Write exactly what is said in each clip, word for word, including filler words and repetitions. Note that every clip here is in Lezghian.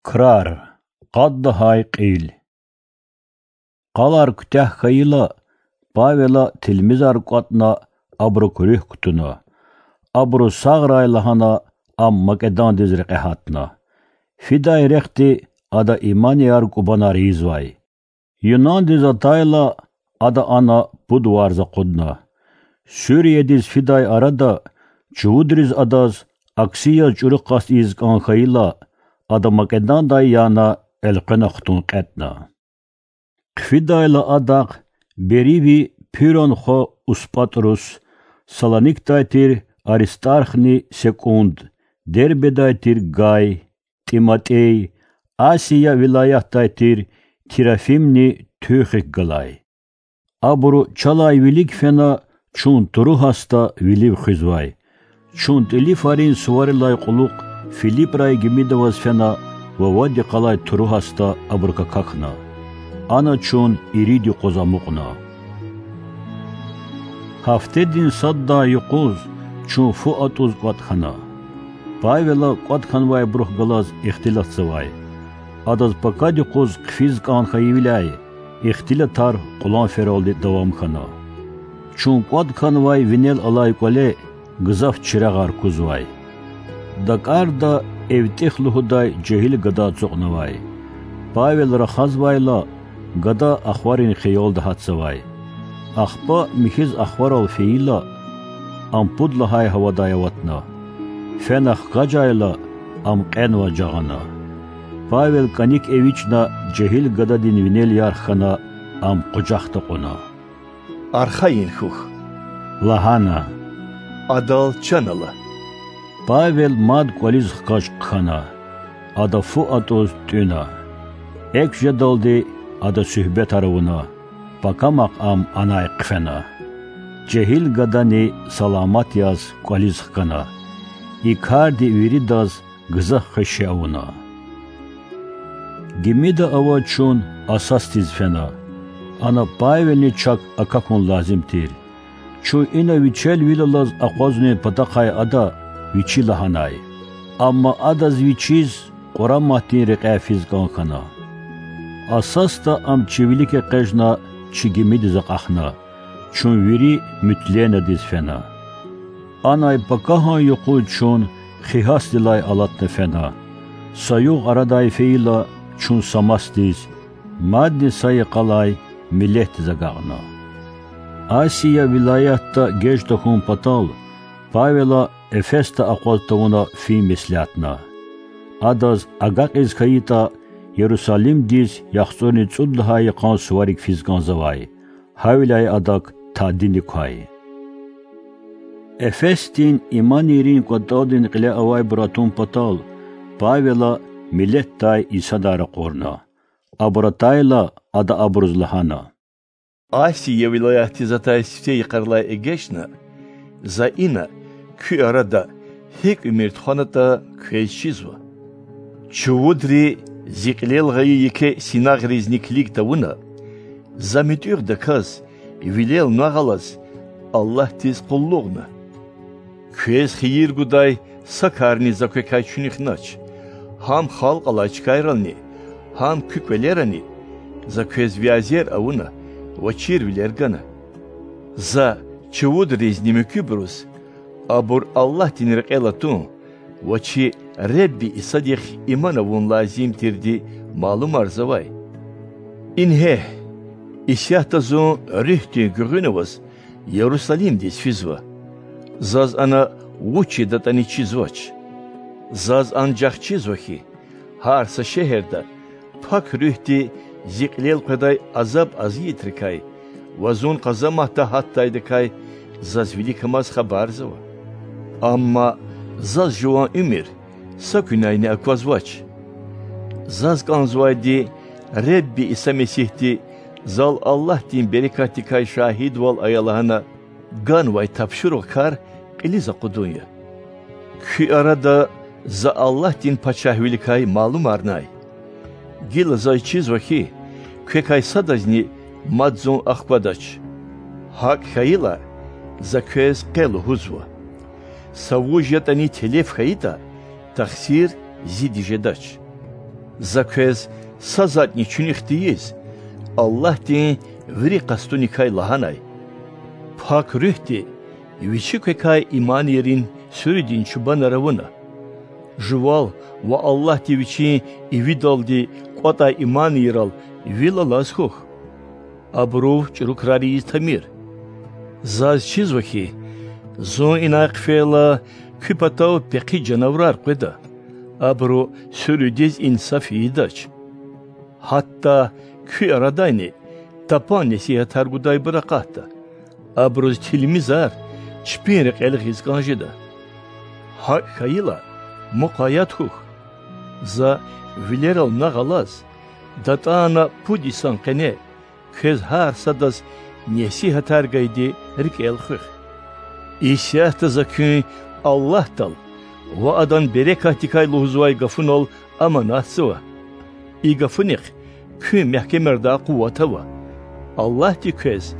Крар. Къад лагьай кьил. Къалар куьтягь хьайила, Павела тилмизар кӀватӀна, абурук руьгь кутуна. Абуру сагърай лагьана, ам Македондиз рекье гьатна. Фидай рехъди ада иманияр кӀубанар ийизвай. Юнандиз атайла, ада ана пуд варз акъудна. Суриядиз фидай арада чувудриз адаз акси яз чӀуру къаст ийиз кӀан хьайила, ада Македондай яна элкъвена хтун кьетӀна. Хъфидайла адахъ бериви Пирон хва Успатрус, Салоникдай тир Аристархни Секунд, Дербедай тир Гай, ТӀиматӀей, Асия вилаятдай тир Трофимни Туьхик галай. Абуру чалай вилик фена, чун Туруасда вилив хуьзвай. Чун тӀилифарин суварилай кьулухъ Филипрай гимида аваз фена ва вад йикъалай Туруасда абурук акахьна. Ана чун ирид юкъуз амукьна. Гьафтедин саддай юкъуз чун фу атӀуз кӀватӀ хьана. Павела кӀватӀ хьанвайбурухъ галаз ихтилатзавай. Адаз пакад юкъуз хъфиз кӀан хьайивиляй, ихтилатар къуланфералди давам хьана. Чун кӀватӀ хьанвай винел алай кӀвале гзаф чирагъар кузвай. ДакӀарда ЭвтӀихъ лугьудай жегьил гада ацукьнавай. Павел рахазвайла, гада ахварин хиялда гьатзавай. Ахпа михьиз ахварал фейила, ам пуд лагьай гьавадай аватна. Фена хкажайла, ам кьенваз жагъана. Павел кӀаник эвичӀна жегьил гададин винел ярх хьана, ам къужахда кьуна. Архайин хьухь,— лагьана,— адал чан ала. Павел мад кӀвализ хкаж хъхьана. Ада фу атӀуз тӀуьна. Экв жедалди ада суьгьбетар авуна, пакамахъ ам анай хъфена. Жегьил гадани саламат яз кӀвализ хкана. И карди виридаз гзаф хвеши авуна. Гимида авай чун Ассосдиз фена. Ана Павелни чак акахьун лазим тир. Чун ина вичелвилелаз акъвазнавай патахъай ада вичи лагьанай. Амма адаз вичиз Къураматдин рекьяй физ кӀан хьана. Ассосда ам чи вилик экъечӀна, чи гимидиз акьахна. Чун вири Митлендиз фена. Анай пакагьан юкъуз чун Хигьосдилай алатна фена. Са югъ арадай фейила, чун Самосдиз, мадни са йикъалай Милетдиз агакьна. Асия вилаятда геж тахьун патал Павела Эфесда акъваз тавуна фин меслятна. Адаз агакьиз хьайитӀа, Ярусалимдиз яхцӀурни цӀуд лагьай йикъан суварик физ кӀанзавай, гьавиляй адак тадини квай. Эфесдин иманийрин кӀватӀалдин кьиле авайбур атун патал, Павела Милетдай инсанар ракъурна. Абур атайла, ада абуруз лагьана: Асия вилаятдиз атай сифте йикъарилай эгечӀна, за ина, куь арада, гьикӀ уьмуьр тухванатӀа, квез чизва. Чувудри зи кьилел гъайи еке синагъризни килиг тавуна, за муьтӀуьгъдаказ, вилел нагъв алаз, Аллагьдиз къуллугъна. Квез хийир гудай са карни за квекай чуьнуьхнач. Гьам халкь алай чкайрални, гьам куь кӀвалерани за квез вязер авуна ва чирвилер гана. За чувудризни муькуьбуруз абур Аллагьдин рекьел атун ва чи Худа Исадихъ иман авун лазим тирди малумарзавай. Ингье, исятда зун Руьгьдин гуьгъуьна аваз Ярусалимдиз физва. Заз ана вуч жедатӀани чизвач. Заз анжах чизва хьи, гьар са шегьерда Пак Руьгьди зи кьилел къведай азаб азиятрикай ва зун къазаматда гьатдайдакай заз виликамаз хабарзава. Амма заз жуван уьмуьр са куьнайни аквазвач. Заз кӀанзавайди Худа Иса Месигьди зал Аллагьдин берекатдикай шагьидвал ая лагьана ганвай тапшуругъ кар кьилиз акъудун я. Куь арада за Аллагьдин пачагьвиликай малумарнай. Гила заз чизва хьи, квекай садазни мад зун ахквадач. ГьакӀ хьайила, за квез къе лугьузва: са вуж ятӀани телеф хьайитӀа, тахсир зиди жедач. За квез са затӀни чуьнуьх тийиз, Аллагьдин вири къастуникай лагьанай. Пак Руьгьди Вичи квекай иманийрин суьруьдин чубанар авуна. Жувал ва Аллагьди Вичин ивидалди кӀватӀай иманийрал вил алаз хьухь. Абурув чӀуру крар ийиз тамир. Заз чизва хьи, Зун инай хъфейла, куь патав пехъи жанавурар къведа. Абуру суьруьдиз инсаф ийидач. Гьатта куь арадайни тапан несигьатар гудайбур акъатда. Абуруз тилмизар чпин рекьел гъиз кӀан жеда. ГьакӀ хьайила, мукъаят хьухь. За вилерал нагъв алаз, датӀана пуд йисан къене, квез гьар садаз несигьатар гайиди рикӀел хуьх. Исятда за куьн Аллагьдал ва Адан берекатдикай лугьузвай гафунал аманатзава. И гафунихъ куьн мягькемардай къуват ава. Аллагьди квез,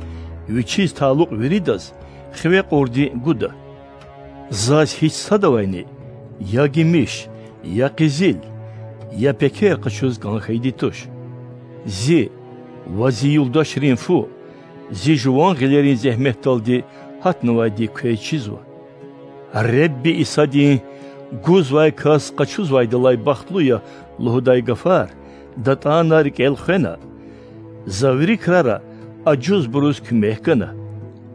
Вичиз талукь виридаз, хиве кьурди гуда. Заз гьич садавайни я гимиш, я къизил, я пекер къачуз кӀан хьайиди туш. Зи ва Зи юлдашрин фу, Зи жуван гъилерин зегьметдалди гьатнавайди квез чизва. Ребби Исадин: Гузвай кас къачузвайдалай бахтлу я лугьудай гафар датӀана рикӀел хвена, За вири крара ажузбуруз куьмек гана.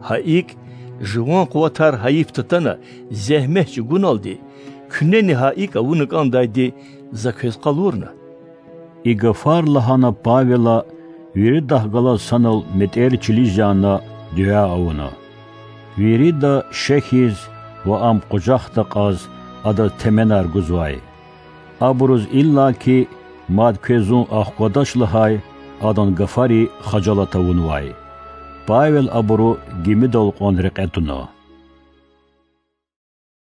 Гьа икӀ, жуван къуватар гьайиф татана зегьмет чӀугуналди, куьнени гьа икӀ авуна кӀандайди За квез къалурна. И гафар лагьана Павела виридахъ галаз санал метӀер чилиз яна, дуьа авуна. Вирида шехьиз ва ам къужахда кьаз адаз теменар гузвай. Абуруз иллаки мад квез зун ахквадач лагьай адан гафари хажалат авунвай. Павел абуру гимидал кьван рекье туна.